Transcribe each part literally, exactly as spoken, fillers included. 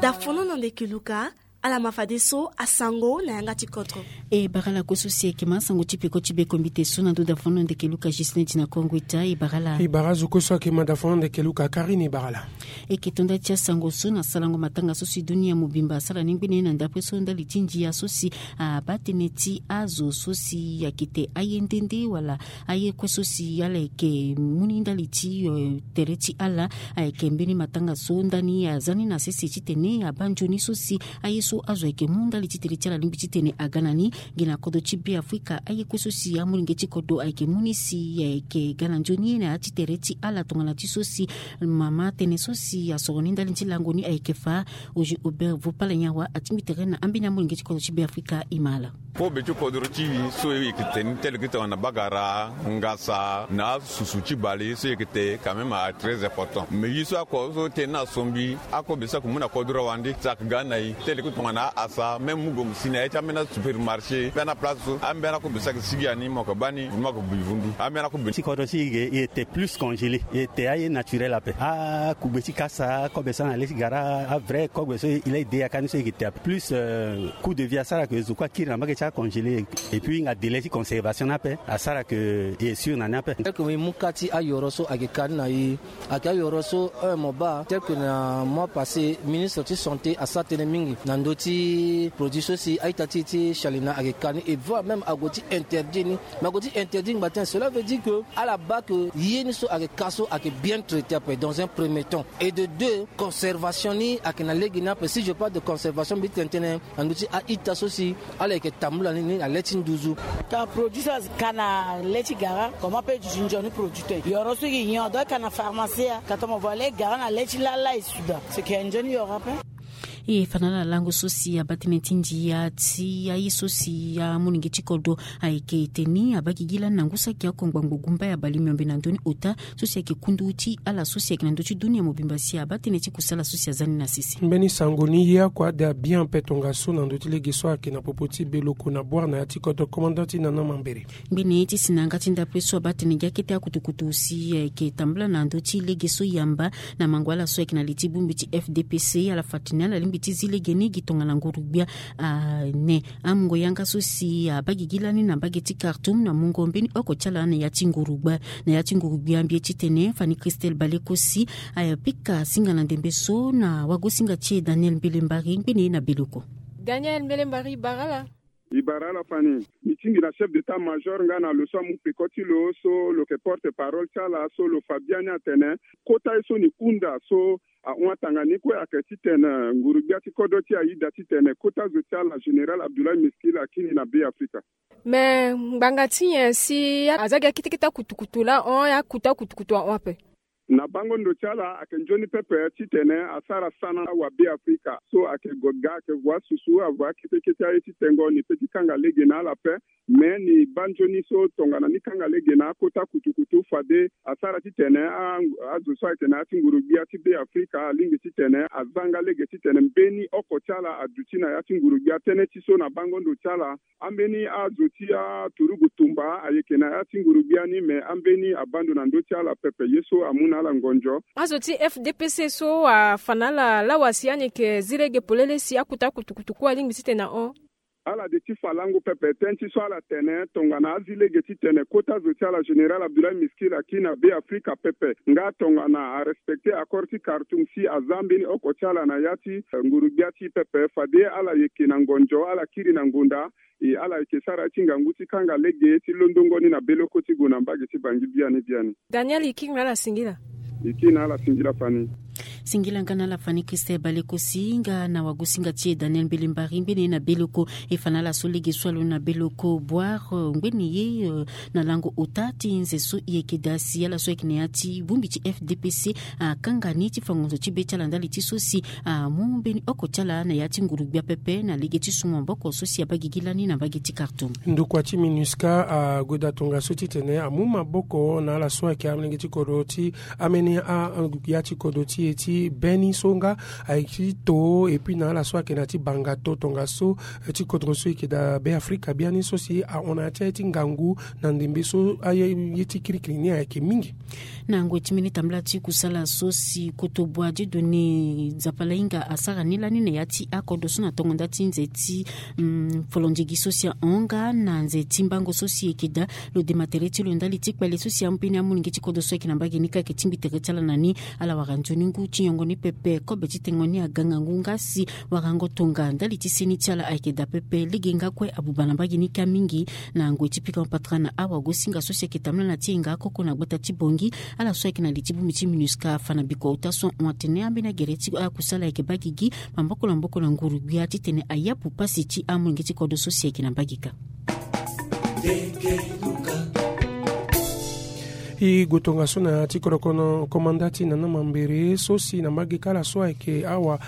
Dafono na ndeke luka. Ala ma fadeso asango na yanga ti kodro. E bara ala kue so si ayeke ma asango ti peko ti bekombite so na ndo dafono na ndeke luka Gislain ti na kongo eta. E bara ala. E bara azo kue so ayeke ma dafono na ndeke luka Karine, e bara ala. E yeke tonda ti asango so na salango matanga so si dunia mobimba asara ni ngbene na ndapre so ndali ti ndia so si abaa tënë ti azo so si ayeke te aye nde nde wala aye kue so si ala yeke mu ni ndali ti tere ti ala. Ayeke mbeni matanga so ndani aza ni na sese titene abaa nzoni so si aye so azo ayeke mu ndali ti tere ti ala alingbi titene aga na ni. Gi na kodro ti Beafrika aye kue so si amolenge ti kodro ayeke mu ni si ayeke ga na nzoni na ya ti tere ti ala tongana ti so si mama tënë so si asoro ni ndali ti lango ni ayeke fa. Ozi Aubert Vopala Nyawa atingbi tere na ambeni amolenge ti kodro ti Beafrika e ma ala. Kobe ti kodro ti e so e yeke tene tele ki tongana bagara, ngasa na asusu ti bale ye so e yeke te quand même a très important. Mais ye so ako so tene na sombi akobe so ako mu na kodro wande saka ga na e tele ki tongana asa même mu gomo si na ya ti ambeni asupermarché pe na place so ambeni akobe so ayeke sigi ani mo yeke baa ni mo yeke bi vundu ambeni akobe ti kodro ti e e yeke te plus congélé e yeke te aye naturel ape. Akugbe ti kasa akobe so na le ti gara avrai kobe so e la e de yaka ni so e yeke te ape plus. Coup de vie asara ke zo kue akiri na mbage ti acongélé. Et puis hinga délai ti conservation ni ape asara ke e sûr na ni ape. Tel que e mu ka ti ayoro so ayeke ka ni na e ayeke ayoro so un mo baa tel que na mois passé ministre ti santé asara tënë mingi na ndö ti produit so si a-ita ti e ti sialena ayeke ka ni et voire même ague ti interdire ni. Mais ague ti interdire ngba tënë cela veut dire que ala baa ke ye ni so ayeke ka so ayeke bien traité ape dans un premier temps. Et de deux, conservation ni ayeke na lege ni ape si je parle de conservation mbi ti tene tënë na ndö ti a-ita so si ala yeke tambula ni na le ti nduzu. Ka produit so ayeke ka na le ti gara comment pe duti nzoni produit te yoro so e yeke nyon donc ka na pharmacie. Ka tongana mo voit le gara na le ti lala e suda seke nzoni yoro ape. E fa na ala lango so si abaa tënë ti ndia ti aye so si amolenge ti kodro ayeke teni abaa gigi lani na ngu saki oko ngbangbo gumba ya bale miombe na ndö ni ota so si ayeke kundu ti ala so si ayeke na ndö ti dunia mobimba si abaa tënë ti kusala so si aza ni na sese. Mbeni sango ni ye oko ade abien ape tongaso na ndö ti lege so ayeke na popo ti beloko na boire na ya ti kodro commandant ti nana mambere. Ngbene ti si na yanga ti ndapre so abaa tene gi akete akutukutu si ayeke tambula na ndö ti lege so yamba na mango ala so ayeke na li ti bongbi ti F D P C ala fa tene ala lingbi ti zi lege ni gi tongana nguru-gbia. Ane amungo yanga so si abaa gigi lani na mbage ti Khartoum na mungo mbeni oko ti ala na ya ti nguru-gbia na ya ti nguru-gbia mbi ye titene Fanny Christelle Balekosi. Ayapika singa na ndembe so na wagosinga ti e Daniel Mbelembari ngbene na beloko. Daniel Mbelembari, bara ala. E bara ala Fanny. Mbi tingbi na chef d'état-major nga na lo so amu peko ti lo so lo yeke porte-parole ti ala so lo fa biani atene kota ye so ni hunda so ahon atanga ni kue ayeke titene nguru-gbia ti kodro ti e ayeda titene kota zo ti ala général Abdoulaye Miskil akiri na Beafrika. Me ngbanga ti nyen si aza gi akete kete akutukutu laa ahon akuta akutukutu ahon ape? Na bango ndo ti ala ayeke nzoni pepe titene asara sana awabeafrika so ayeke gue ga ayeke vo asusu avo akete kete aye ti tengo ni pe ti kanga lege na ala ape. Me ni baa nzoni so tongana ni kanga lege na akota kutukutu fade asara titene azo so ayeke na ya ti nguru-gbia ti Beafrika alingbi titene aza nga lege titene mbeni oko ti ala aduti na ya ti nguru-gbia tënë ti so na bango ndo ti ala. Ambeni azo ti aturugu tumba ayeke na ya ti nguru-gbia ni me ambeni abaa ndo na ndö ti ala pepe ye so amu na ala ngonzo. Azo ti F D P C so afa na ala lawa si ani yeke zi lege polele si akuta akutukutu kue alingbi titene ahon. Ala de ti fa lango pepe tënë ti so ala tene tongana azi lege titene kota zo ti ala général Abdoulaye Miskil akiri na Beafrika pepe nga tongana arespecte accord ti Khartoum si aza mbeni oko ti ala na ya ti nguru-gbia ti pepe fade ala yeke na ngonzo ala kiri na ngonda. E ala yeke sara ti ngangu ti kanga lege ti londongo ni na beloko ti gue na mbage ti Bangi biani biani. Daniel, e kiri na ala singila. E kiri na ala singila Fanny. Singila nga na ala Fanny Christelle Balekosi nga na wagosinga ti e Daniel Mbelembari ngbene na beloko. E fa na ala so lege so alo na beloko boire ngbene ye na lango ota ti nze so e yeke daa si ala so ayeke na ya ti bongbi ti F D P C akanga ni ti fa ngonzo ti be ti ala ndali ti so si amu mbeni oko ti ala na ya ti nguru-gbia pepe na lege ti su maboko so si abaa gigi lani na mbage ti Khartoum. Ndokua ti MINUSCA ague daa tongaso titene amu maboko na ala so ayeke amolenge ti kodro ti ambeni a ya ti kodro ti e ti Beni so nga ayeke ti to epui na ala so ayeke na ya ti banga to tongaso ti kodro so eke daa be afrika biani so si ahon na ya ti aye ti ngangu na ndembe so aye ti kirikiri ni ayeke mingi. Na ngoi ti mbeni tambala ti kusala so si kotobua dieudonne nzapa lahinga asara ni lani na ya ti akodro so na tongo nda ti nze ti folondiegi so si ahon nga na nze ti mbango so si eke daa lo dema tere ti lo ndali ti kpale so si ambeni amolenge ti kodro so ayeke na mbage ni kake tingbi tere ti ala na ni. Ala wara nzoni ngu ti nyongo ni pepe kobe ti tengo ni aga ngangu nga si warango tonga ndali ti seni ti ala ayeke daa pepe lege nga kue abuba na mbage ni kâ mingi. Na ngoi ti pikango patara na awagosinga so si ayeke tambula na ti hinga akoko na gbata ti bongi. Ala so ayeke na li ti bongbi ti minusca afa na bikua ota so ahon atene ambeni agere ti akusala ayeke baa gigi maboko na maboko na nguru-gbia titene ayapu pasi ti amolenge ti kodro so si ayeke na mbage kâ. E gue tongaso na ya ti kodro komanda ti nana mambere so si na mbage kâ ala so ayeke awa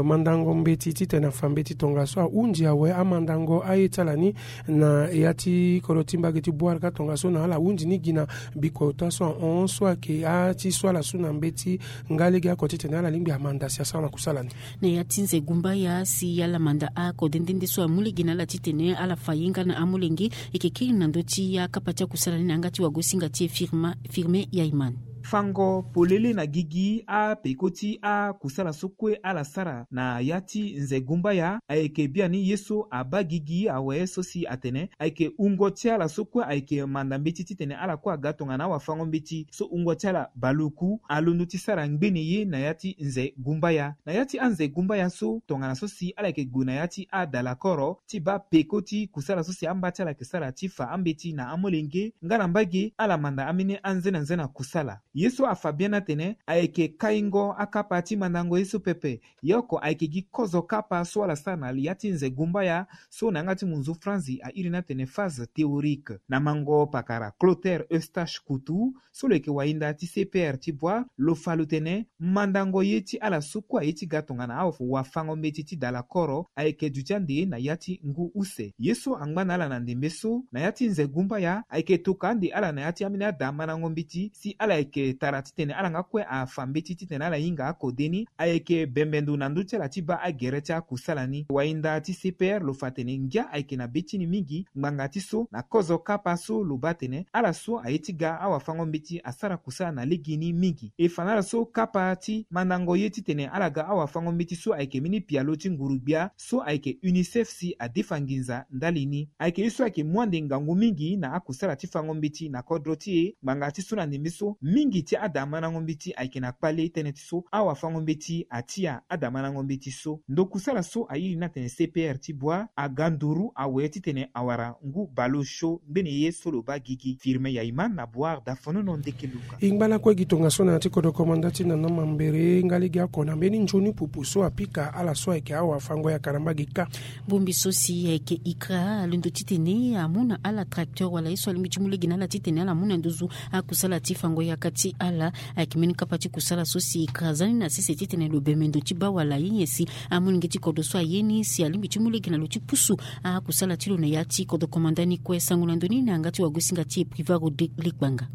mandango mbeti titene afa mbeti tongaso ahundi awe amandango aye ti ala ni na ya ti kodro ti mbage ti bwar kâ tongaso na ala hundi ni gi na bikua ota so ahon so ayeke ati so ala su na mbeti nga lege ako titene ala lingbi amanda si asara na kusala ni. Na ya ti nze gumbaya si ala manda ako dendende so amu lege na ala titene ala fa ye nga na amolenge. Eke kiri na ndö ti akapa ti akusala ni na yanga ti wagosinga ti e firme yaiman. Fango polele na gigi apeko ti akusala so kue ala sara na ya ti nze gumbaya ayeke biani ye so abaa gigi awe so si atene ayeke wungo ti ala so kue ayeke manda mbeti titene ala kue aga tongana awafango mbeti so wungo ti ala baluku alondo ti sara ngbene ye na ya ti nze gumbaya na ya ti anze gumbaya so tongana so si ala yeke gue na ya ti adalakoro ti baa peko ti kusala so si amba ti ala yeke sara ti fa ambeti na amolenge nga na mbage ala manda ambeni anzenanzena kusala. Ye so afa biani atene ayeke kaingo akapa ti mandango ye so pepe. Ye oko ayeke gi kozo kapa so ala sara na ya ti nze gumbaya so na yanga ti munzu franzi airi ni atene phase théorique na mango pakara clotaire eustache kutu so lo yeke wahinda ti cpr ti bua lo fa lo tene mandango ye ti ala so kue aye ti ga tongana awafango mbeti ti dala koro ayeke duti ande na ya ti ngu use ye so angba na ala na ndembe so na ya ti nze gumbaya ayeke toka ande ala na ya ti ambeni ada mandango mbeti si ala yeke tara titene ala nga kue afa mbeti titene ala hinga akode ni ayeke bembe ndo na ndö ti ala ti baa agere ti akusala ni wahinda ti cpr lo fa atene ngia ayeke na be ti ni mingi ngbanga ti so na kozo kapa so lo baa atene ala so aye ti ga awafango mbeti asara kusala na legeni mingi e fa na ala so kapa ti mandango ye titene ala ga awafango mbeti so ayeke mbeni pialo ti nguru-gbia so ayeke unicef si adefa nginza ndali ni ayeke ye so ayeke mu ande ngangu mingi na akusala ti fango mbeti na kodro ti e ngbanga ti so na ndembe so mingi ti ada mandango mbeti ayeke na kpale tënë ti so awafango mbeti atia ada mandango mbeti so ndo kusala so airi ni atene cpr ti bua aga nduru awe titene awara ngu baleosio ngbene ye so lo baa gigi firme yaiman na boire dafonono ndeke luka. E ngba lakue gi tongaso na ya ti kodro komanda ti nana mambere nga lege ako na mbeni nzoni pupu so apika ala so ayeke awafango yaka na mbage kâ. Bongbi so si ayeke ikra alondo titene amu na ala tracteur wala ye so alingbi ti mu lege na ala titene ala mu na nduzu akusala ti fango yaka ti ala. Ayeke mbeni kapa ti kusala so si ikra za ni na sese titene lo bembe ndo ti baa wala ye nyen si amolenge ti kodro so aye ni si alingbi ti mu lege na lo ti pusu akusala ti lo na ya ti kodro komanda ni kue sango na ndo ni na yanga ti wagosinga ti e priva rodrigue ligbanga.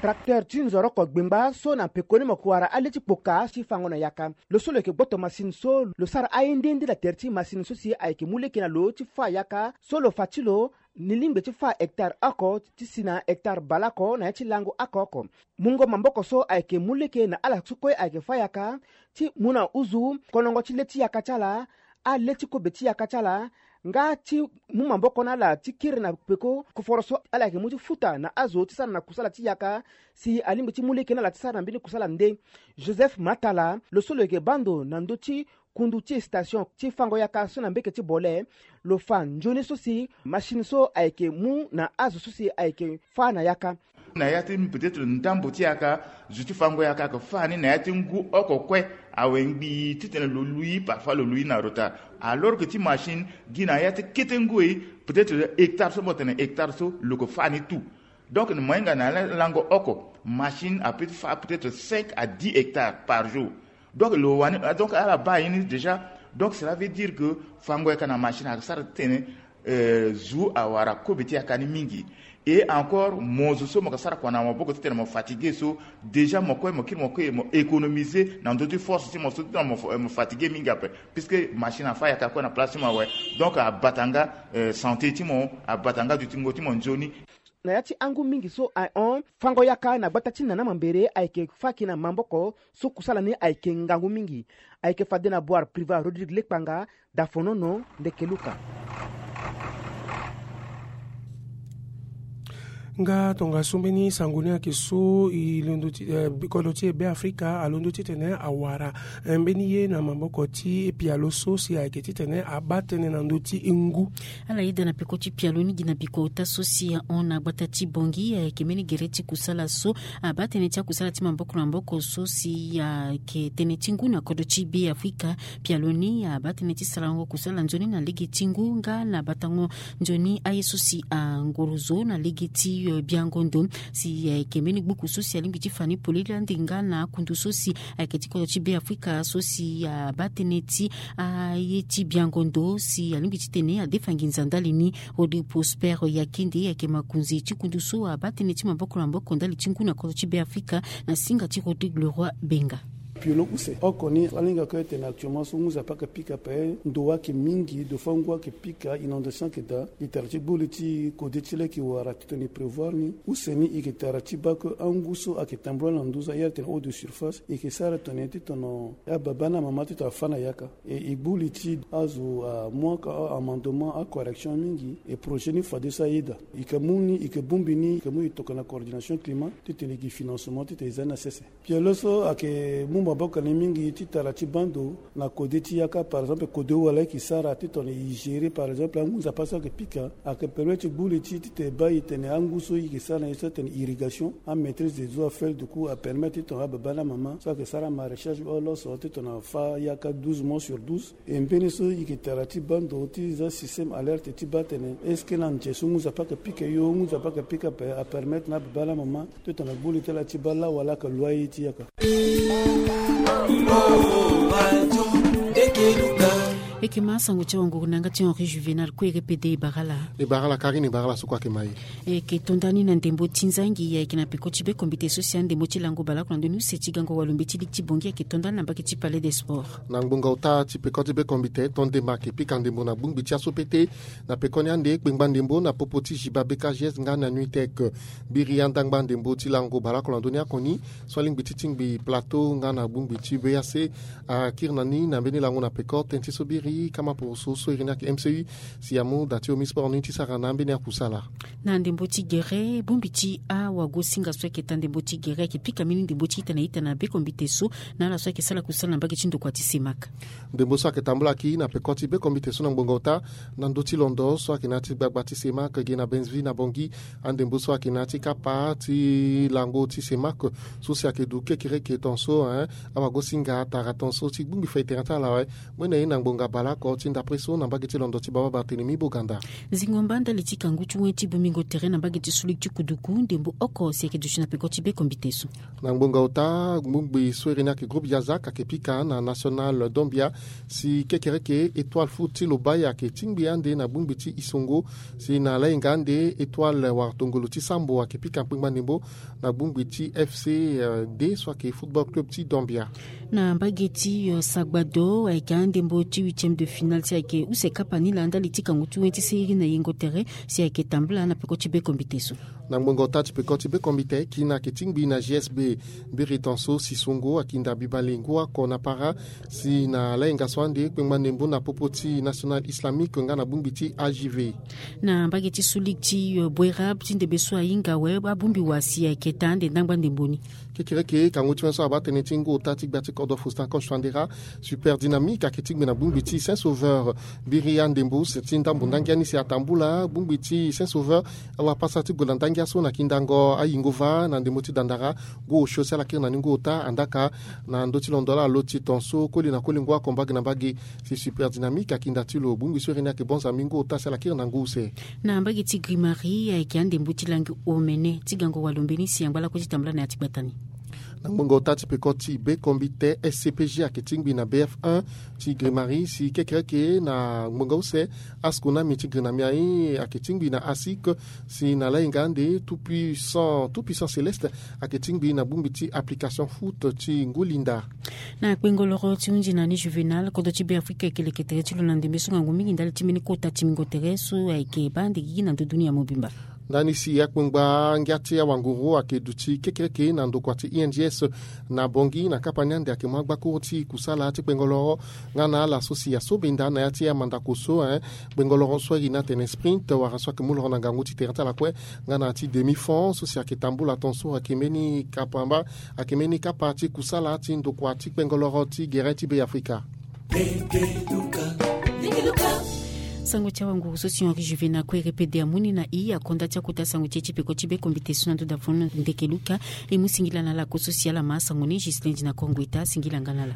Tracteur ti nzoroko gbengba so na pekoni mo yeke wara ale ti kpoka ti fango na yaka. Lo so lo yeke gboto masini so lo sara aye nde nde na tere ti masini so si ayeke mu lege na lo ti fâ yaka so lo fa ti lo ni lingbi ti fâ hectare oko ti si na hectare baleoko na ya ti lango oko oko. Mungo maboko so ayeke mu lege na ala so kue ayeke fâ yaka ti mu na uzu konongo ti le ti yaka ti ala ale ti kobe ti yaka ti ala nga ti mu maboko na ala ti kiri na peko koforo so ala yeke mu ti futa na azo ti sara na kusala ti yaka si alingbi ti mu lege na ala ti sara na mbeni kusala nde. Joseph matala lo so lo yeke baa ndo na ndö ti kundu ti station ti fango yaka so na mbeke ti bole lo fa nzoni so si machine so ayeke mu na azo so si ayeke fâ na yaka. Na ya ti peut-être ndambo ti yaka zo ti fango yaka ayeke fâ ni na ya ti ngu oko kue awe ngbii titene lo lui parfois lo lui na retard alors que ti machine gi na ya ti kete ngu e peut-être hectare so mo tene hectare so lo yeke fâ ni tout. Donc na mo hinga na lango oko machine apeut ti fâ peut-être cinq à dix hectares par jour. Donc lo wani donc ala baa ye ni déjà. Donc cela veut dire que fango yaka na machine ayeke sara titene zo awara kobe ti yaka ni mingi. Et encore, mo zo so mo yeke sara kua na maboko titene mo fatigue so, déjà mo kue mo kiri mo kue mo économiser na ndö ti force ti mo so titene mo fatigue mingi ape. Puisque machine afa ayaka kue na place ti mo awe. Donc abata nga santé ti mo, abata nga dutingo ti mo nzoni. Na ya ti angu mingi so ahon fango yaka na gbata ti nana mambere ayeke faki na maboko so kusala ni ayeke ngangu mingi. Ayeke fade na boire priva rodrigue lekpanga. Dafonono ndeke luka. Nga tongaso mbeni sango ni ayeke so e londo ti kodro ti e be afrika alondo titene awara mbeni ye na maboko ti pialo so si ayeke titene abaa tënë na ndö ti ngu. Ala yeda na peko ti pialo ni gi na bikota so si ahon na gbata ti bongi ayeke mbeni gere ti kusala so abaa tënë ti akusala ti maboko na maboko so si ayeke tënë ti ngu na kodro ti be afrika. Pialo ni abaa tënë ti sarango kusala nzoni na lege ti ngu nga na batango nzoni aye so si angorozo na lege ti biango ndo si ayeke mbeni gbuku so si alingbi ti fa ni polele ande nga na akundu so si ayeke ti kodro ti be afrika so si abaa tënë ti aye ti biango ndo si alingbi titene adefa nginza ndali ni. Rodrigue Prosper Yakende ayeke makonzi ti kundu so abaa tënë ti maboko na maboko ndali ti ngu na kodro ti be afrika na singa ti Rodrigue Leroy Benga. Piolo use oko ni alingaka ete na actuellement so ngu nzapa ayeke pika ape ndo ayeke mingi ndo fâ ngu ayeke pika inondation ayeke daa. E tara ti gbu li ti kode ti leke wara titene e prévoir ni. Use ni e yeke tara ti baa ke angu so ayeke tambula na nduzu aye ala tene eau de surface e yeke sara tene ti tono ababa na amama ti tongana fâ na yaka. E e gbu li ti azo amu aka a-amendement acorrection mingi. E projet ni fade so ayeda e yeke mu ni e yeke bongbi ni e yeke mu e tokua na coordination climat titene e gi financement titene e za ni na sese. Pialo so ayeke mu maboko na e mingi ti tara ti baa ndo na kode ti yaka par exemple kode wala e yeke sara ti tongana e gérer par exemple angu nzapa so ayeke pika ayeke permettre ti gbu li ti titene e baa e tene angu so e yeke sara na e so atene irrigation amaîtrise des eaux afel du coup apermettre ti tongana ababa na amama so ayeke sara amaraîchage oloso ti tongana fâ yaka douze mois sur douze. E mbeni so e yeke tara ti baa ndo ti za système alerte ti baa tene est-ce que na nze so ngu nzapa ayeke pika yo ngu nzapa ayeke pika ape apermettre na ababa na amama ti tongana gbu li ti ala ti baa lawa laa ayeke loyer ti yaka. E yeke ma asango ti awanguru na yanga ti henri juvénal kue e répéter e bara ala. E bara ala karine e bara ala so kue ayeke ma e. E yeke to nda ni na ndembo ti nzangi ayeke na peko ti be kombite so si andembo ti lango baleoko na ndoni use ti gango walombe ti liki ti bongi ayeke to nda ni na mbage ti palais des sports. Na ngbonga ota ti peko ti be kombite to ndembo ayeke pika ndembo na gbongbi ti aso pete. Na pekoni ande kpengba ndembo na popo ti ziba bekages nga na nuitec. Biri andangba ndembo ti lango baleoko na ndoni akoni so alingbi ti tingbi plateau nga na gbongbi ti beac. Akiri na ni na mbeni lango na peko tënë ti so biri kama poroso so iri ni ayeke mcu. Si amu da ti omi sport ni ti sara na ambeni akusala. Na ndembo ti gere bongbi ti awagosinga so ayeke taa ndembo ti gere ayeke pika mbeni ndembo ti ita na ita na be kombite so na ala so ayeke sara kusala na mbage ti ndokua ti semak. Ndembo so ayeke tambula ki na peko ti be kombite so na ngbonga ota na ndö ti londo so ayeke na ya ti gbagba ti semak ge na benzeville na bongi. Andembo so ayeke na ya ti kapa ti lango ti semak so si ayeke du kekereke tonso. Awagosinga atara tonso ti gbingbi fai terrain ti ala awe. Mue na ye na ngbonga baleoko ti ndapre so na mbage ti londo ti baba barthélémy boganda. Zingo mba ndali ti kangu ti wen ti bongbingo tere na mbage ti sulik ti kuduku ndembo oko si ayeke duti na peko ti be kombite so. Na ngbonga ota gbongbi so iri ni ayeke groupe yazak ayeke pika na national dombia si kekereke étoile foot ti lobai ayeke tingbi ande na gbongbi ti isongo. Si na lainga ande étoile wara tongolo ti sambo ayeke pika kpengba ndembo na gbongbi ti fc de so ayeke football club ti dombia. Na mbage ti sagbado ayeke andembo ti huitième de finale si ayeke use kapa ni laa ndali ti kangu ti wen ti siriri na yengo tere si ayeke tambula na peko ti be kombite so. Na ngbongo ota ti peko ti be kombite kina ayeke tingbi na gsb. Mbiri tonso si songo akinda biba lingu oko na para si na lainga so ande kpengba ndembo na popo ti national islamique nga na bongbi ti agv. Na mbage ti sulik ti boerab ti ndembe so ahinga awe abongbi wa si ayeke taa ande ndangba ndembo ni. Kekereke kangu ti wen so abaa tënë ti ngu ota ti gbia ti kodro faustin coche fandera. Super dynamique ayeke tingbi na bongbi ti saint sauveur. Mbiri andembo use ti ndambo ndangia ni si atambula bongbi ti saint sauveur. Awapasa ti gola ndangia so na kindango ayingo va na ndembo ti dandara. Ngu osio si ala kiri na ni ngu ota andaka na ndö ti londo ala lo ti tonso koli na koli ngu oko mbage na mbage. Si super dynamique akinda ti lo bongbi so iri ni ayeke bonza mingi ngu ota si ala kiri na ngu use. Na mbage ti grimari ayeke andembo ti langi omene ti gango walombe ni si angba lakue ti tambula na ya ti gbata ni. Na ngbonga ota ti peko ti be kombite S C P G ayeke tingbi na B F un ti grimari si kekereke na ngbonga use. Askonami ti grinami aye ayeke tingbi na asik si na layenga ande tout puissant tout puissant céleste ayeke tingbi na bongbi ti application foot ti ngulinda. Na kpengoloro ti hunzi na ni juvénal kodro ti be afrika ayeke leke tere ti lo na ndembe so ngangu mingi ndali ti mbeni kota ti mingo tere so ayeke baa nde gigi na ndö dunia mobimba. Ndani si akpengba ngia ti awanguru ayeke duti kekereke na ndokua ti I N G S na bongi na kapa ni ande ayeke mu agbakuru ti kusala ti kpengoloro. Nga na ala so si aso benda na ya ti amandako so, eh, kpengoloro so airi ni atene sprint wara so ayeke mu loro na ngangu ti tere ti ala kue. Nga na ya ti demi fond so si ayeke tambula ton so ayeke mbeni kapa mba ayeke mbeni kapa ti kusala ti ndokua ti kpengoloro ti gere ti be afrika. Sango ti awanguru so si Henri Juvénal kue repede amu ni na i akonda ti akota sango ti e ti peko ti be kombite so na ndo dafon ndeke luka. E mu singila na ala ko so si ala ma asango ni Ghislain Dina Kongo eta singila nga na ala.